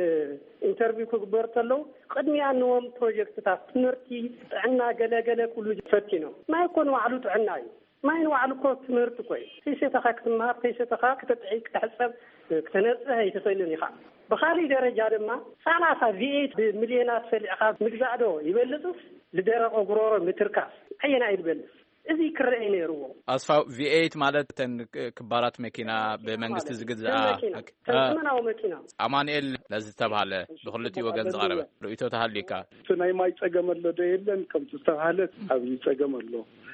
ኢንተርቪው ክግበር ከለዉ ቅድሚያ ንዎም ፕሮጀክትታት ትምህርቲ፣ ጥዕና፣ ገለገለ ኩሉ ፈቲኖም። ማይ እኮ ንባዕሉ ጥዕና እዩ። ማይ ንባዕሉ እኮ ትምህርቲ እኮ እዩ። ከይሰተኻ ክትመሃር፣ ከይሰተኻ ክትጥዒ፣ ክትሕጸብ፣ ክተነጽህ ኣይትኽእልን ኢኻ። ብኻልእ ደረጃ ድማ ሰላሳ ቪኤት ብሚልዮናት ፈሊዕኻ ምግዛእ ዶ ይበልጽስ ንደረቕ ጉሮሮ ምትርካስ ኣየናይ እዩ ዝበልጽ? እዚ ክረአ ነይርዎ። ኣስፋው፣ ቪኤት ማለት እተን ክባራት መኪና ብመንግስቲ ዝግዝኣ? ተን መኪና፣ ተን ዘመናዊ መኪና። ኣማኑኤል ነዚ ዝተባህለ ብክልቲኡ ወገን ዝቐረበ ርእይቶ ተሃልዩካ? እቲ ናይ ማይ ጸገም ኣሎ ዶ የለን ከምቲ ዝተባህለ፣ ኣብዚ ጸገም ኣሎ።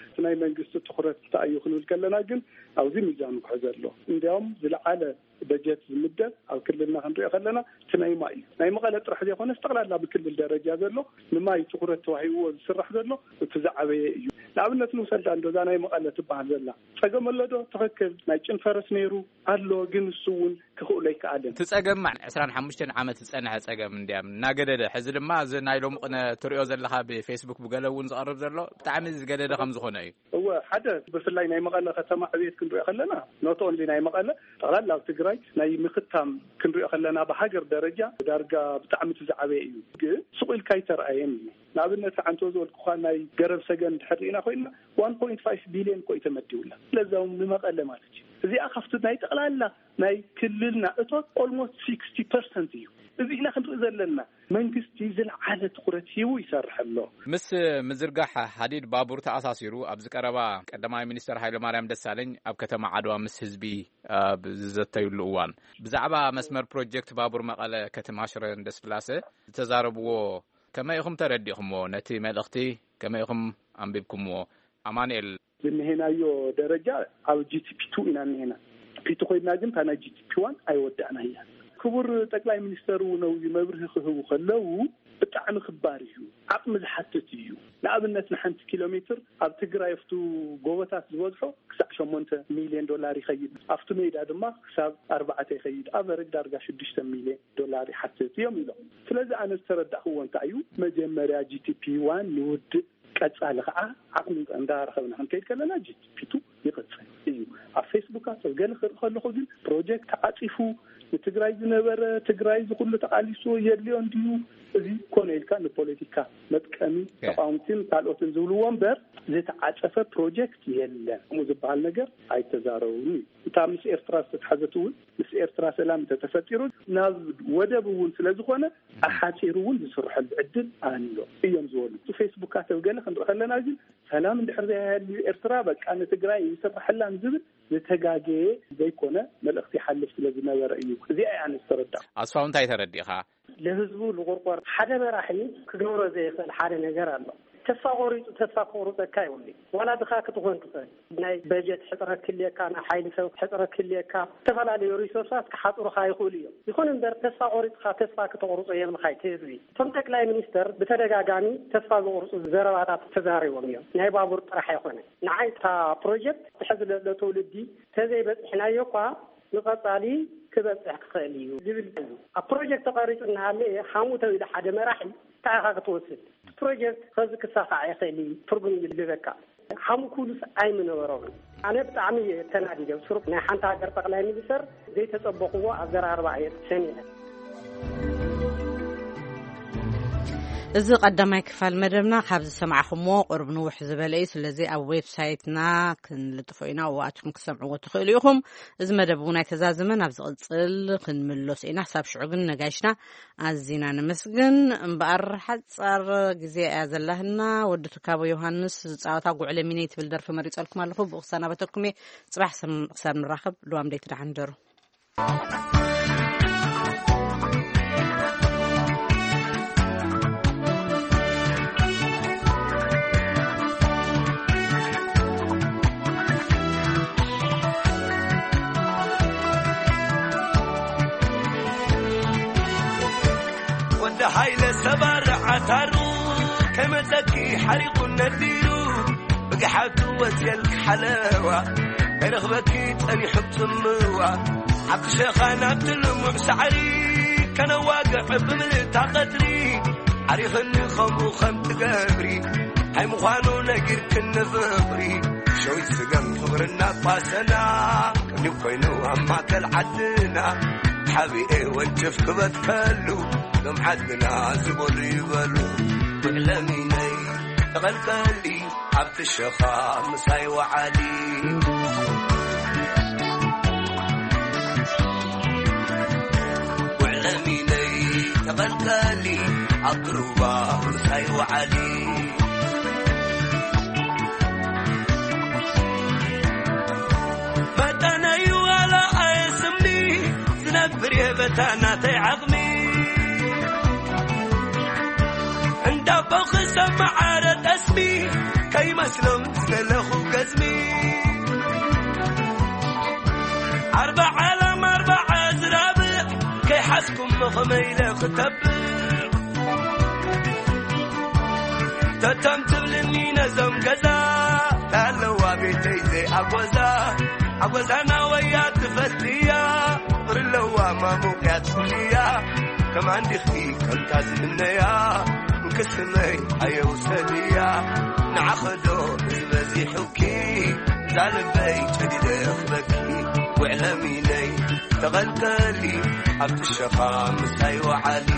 እቲ ናይ መንግስቲ ትኹረት እንታይ እዩ ክንብል ከለና ግን ኣብዚ ሚዛኑ ክሕዘ ኣሎ። እንዲያውም ዝለዓለ በጀት ዝምደብ ኣብ ክልልና ክንሪኦ ከለና እቲ ናይ ማይ እዩ። ናይ መቐለ ጥራሕ ዘይኮነስ ጠቕላላ ብክልል ደረጃ ዘሎ ንማይ ትኹረት ተዋሂብዎ ዝስራሕ ዘሎ እቲ ዝዓበየ እዩ። ንኣብነት ንውሰዳ እንዶ እዛ ናይ መቐለ ትበሃል ዘላ ጸገም ኣሎ ዶ? ትኽክል። ናይ ጭንፈረስ ነይሩ ኣሎ፣ ግን እሱ እውን ክኽእሎ ኣይከኣልን። እቲ ጸገም ዕስራን ሓሙሽተን ዓመት ዝጸንሐ ጸገም እንድያም እናገደደ፣ ሕዚ ድማ እዚ ናይ ሎሚ ቅነ ትሪኦ ዘለኻ ብፌስቡክ ብገለ እውን ዝቐርብ ዘሎ ብጣዕሚ ዝገደደ ከም ዝኾነ እዩ። እወ፣ ሓደ ብፍላይ ናይ መቐለ ከተማ ዕብየት ክንሪኦ ከለና፣ not only ናይ መቐለ፣ ጠቕላላ ኣብ ትግራይ ናይ ምኽታም ክንሪኦ ከለና፣ ብሃገር ደረጃ ዳርጋ ብጣዕሚ እቲ ዝዓበየ እዩ። ግን ስቕ ኢልካ ኣይተረኣየን እዩ። ንኣብነት፣ ሓንቲ ዝበልኩኻ ናይ ገረብ ሰገን እንድሕር ርኢና ኮይንና፣ ዋን ፖይንት ፋይቭ ቢልዮን እኮ እዩ ተመዲቡላ። ለዛውም ንመቐለ ማለት እዩ። እዚኣ ካብቲ ናይ ጠቕላላ ናይ ክልልና እቶት ኦልሞስት ሲክስቲ ፐርሰንት እዩ። እዚ ኢና ክንርኢ ዘለና። መንግስቲ ዝለዓለ ትኹረት ሂቡ ይሰርሕ ኣሎ። ምስ ምዝርጋሕ ሃዲድ ባቡር ተኣሳሲሩ፣ ኣብዚ ቀረባ ቀዳማይ ሚኒስተር ሃይለማርያም ደሳለኝ ኣብ ከተማ ዓድዋ ምስ ህዝቢ ኣብ ዝዘተዩሉ እዋን፣ ብዛዕባ መስመር ፕሮጀክት ባቡር መቐለ ከተማ ሽረ እንዳስላሴ ዝተዛረብዎ፣ ከመይ ኢኹም ተረዲእኩምዎ? ነቲ መልእኽቲ ከመይ ኢኹም ኣንቢብኩምዎ? ኣማኑኤል። ዝንሄናዮ ደረጃ ኣብ ጂ ቲ ፒ ቱ ኢና እንሄና። ፒ ቱ ኮይና ግን እታ ናይ ጂ ቲ ፒ ዋን ኣይወዳእናያ። ክቡር ጠቅላይ ሚኒስተር እውን ኣብዚ መብርሂ ክህቡ ከለዉ፣ ብጣዕሚ ክባር እዩ፣ ዓቕሚ ዝሓትት እዩ። ንኣብነት፣ ንሓንቲ ኪሎ ሜትር ኣብ ትግራይ ኣብቱ ጎቦታት ዝበዝሖ ክሳዕ ሸሞንተ ሚልዮን ዶላር ይኸይድ፣ ኣብቱ ሜዳ ድማ ክሳብ ኣርባዕተ ይኸይድ፣ ኣቨረጅ ዳርጋ ሽዱሽተ ሚልዮን ዶላር ይሓትት እዮም ኢሎም። ስለዚ ኣነ ዝተረዳእክዎ እንታይ እዩ፣ መጀመርያ ጂ ቲ ፒ ዋን ንውድእ፣ ቀጻሊ ከዓ ዓቕሚ እንዳረኸብና ክንከይድ ከለና ጂ ቲ ፒ ቱ ይቕጽል እዩ። ኣብ ፌስቡካት ኣብ ገለ ክርኢ ከለኹ ግን ፕሮጀክት ተዓጺፉ፣ ንትግራይ ዝነበረ፣ ትግራይ ዝኹሉ ተቓሊሱ የድልዮ እንድዩ፣ እዚ ኮነ ኢልካ ንፖለቲካ መጥቀሚ ያ። ተቃወምትን ካልኦትን ዝብልዎ እምበር ዝተዓጸፈ ፕሮጀክት የለን። ከምኡ ዝበሃል ነገር ኣይተዛረቡን እዩ። እታ ምስ ኤርትራ ዝተትሓዘት እውን ምስ ኤርትራ ሰላም እንተተፈጢሩ ናብ ወደብ እውን ስለ ዝኾነ ኣሓጺሩ እውን ዝስርሐሉ ዕድል ኣሎ እዮም ዝበሉ። እቲ ፌስቡካት ኣብ ገለ ክንርኢ ከለና ግን ሰላም እንድሕር ዘይሃልዩ ኤርትራ በቃ ንትግራይ ይስርሐላን ዝብል ዝተጋገየ ዘይኮነ መልእኽቲ ይሓልፍ ስለ ዝነበረ እዩ። እዚኣ እያ ኣነ ዝተረዳእኩ። ኣስፋው እንታይ ተረዲእኻ? ለህዝቡ ልቑርቆር ሓደ መራሒ ክገብሮ ዘይኽእል ሓደ ነገር ኣሎ። ተስፋ ቆሪጹ ተስፋ ክቑርጸካ ይብሉ። ዋላ ድኻ ክትኾን ትኽእል። ናይ በጀት ሕጽረት ክልየካ፣ ናይ ሓይሊ ሰብ ሕጽረት ክልየካ፣ ዝተፈላለዩ ሪሶርሳት ክሓጽሩኻ ይኽእሉ እዮም። ይኹን እምበር ተስፋ ቆሪጽካ ተስፋ ክተቑርጾ የብልካ እቲ ህዝቢ። እቶም ጠቅላይ ሚኒስተር ብተደጋጋሚ ተስፋ ዝቑርጹ ዘረባታት ተዛሪቦም እዮም። ናይ ባቡር ጥራሕ ኣይኮነ። ንዓይ እታ ፕሮጀክት ትሕዚ ለሎ ትውልዲ ተዘይበጺሕናዮ እኳ ንቐጻሊ ክበጽሕ ክኽእል እዩ ዝብል እዩ። ኣብ ፕሮጀክት ተቐሪጹ እናሃለየ ሃሙ ተባሂሉ ሓደ መራሒ እንታይ ኢኻ ክትወስድ? እቲ ፕሮጀክት ኸዚ ክሳኻዕ ይኽእል እዩ፣ ትርጉም ይልበካ። ሃሙ ክብሉስ ኣይምነበሮምን። ኣነ ብጣዕሚ እየ ተናዲደ። ብስሩ ናይ ሓንቲ ሃገር ጠቕላይ ሚኒስተር ዘይተጸበቕዎ ኣዘራርባ እየ ሰሚዐ። እዚ ቀዳማይ ክፋል መደብና ካብ ዝሰማዕኹምዎ ቁሩብ ንውሕ ዝበለ እዩ። ስለዚ ኣብ ዌብሳይትና ክንልጥፎ ኢና፣ ኣብኡ ኣትኩም ክሰምዕዎ ትኽእሉ ኢኹም። እዚ መደብ እውን ኣይተዛዘመን፣ ኣብ ዝቕጽል ክንምለሶ ኢና። ክሳብ ሽዑ ግን ነጋይሽና ኣዚና ነመስግን። እምበኣር ሓጻር ግዜ እያ ዘላህና። ወዲ ትካቦ ዮሃንስ ዝጻወታ ጉዕለ ሚነይ ትብል ደርፊ መሪጸልኩም ኣለኹ። ብኡ ክሰናበተኩም እየ። ጽባሕ ሰም-፣ ክሳብ ንራኸብ፣ ልዋም ደይ ትደሓን ደሩ። ወዲ ሃይለ ሰባር ዓታሩ ከመፀኪ ሓሪቑ ነዲሩ ብግሓቱ ወፅየልኪ ሓለዋ ከይረኽበኪ ፀኒሑ ፅምዋ ኣብቲ ሸኻ ናብቲ ልሙዕ ሳዕሪ ከነዋግዕ ብምልእታ ቀትሪ ዓሪኽኒ ከምኡ ከም ትገብሪ እንታይ ምዃኑ ነጊርክኒ ፍቕሪ ሸዊት ስገም ፍቕርና ቋሰና ቅድሚ ኮይኑ ኣብ ማእከል ዓድና ሓቢኤ ወንጭፍ ክበትከሉ ሎም ዓድና ዝበሉ ይበሉ ውዕለሚነይ ተቐልቀሊ ኣብቲ ሸኻ ምሳይ ወዓሊ ውዕለሚነይ ተቐልቀሊ ኣብ ሩባ ምሳይ ወዓሊ መጠነይ ዋላ ኣየስምኒ ዝነብር የበታ ናተይ ዓቕሚ እንዳቦ ክሰማዓረ ጠስሚ ከይመስሎም ዝደለኹ ገዝሚ ኣርባዓ ላም ኣርባዓ ዝራብዕ ከይሓዝኩሞ ከመይ ኢለ ክተብዕ ተቶም ትብልኒ ነዞም ገዛ ታለዋ ቤተይ ዘይኣጎዛ ኣጎዛና ወያ ትፈትያ ፍቕሪ ኣለዋ ሙቅያት ፍልያ ከማን ዲኺ ከምታ ዝምነያ እንቅስመይ ኣየውሰድያ ንዓኸዶ ዝበዚሑኪ ዛልበይ ጨዲደ ክበኪ ውዕለሚነይ ተቐልቀሊ ኣብቲ ሸኻ ምሳይ ወዓሊ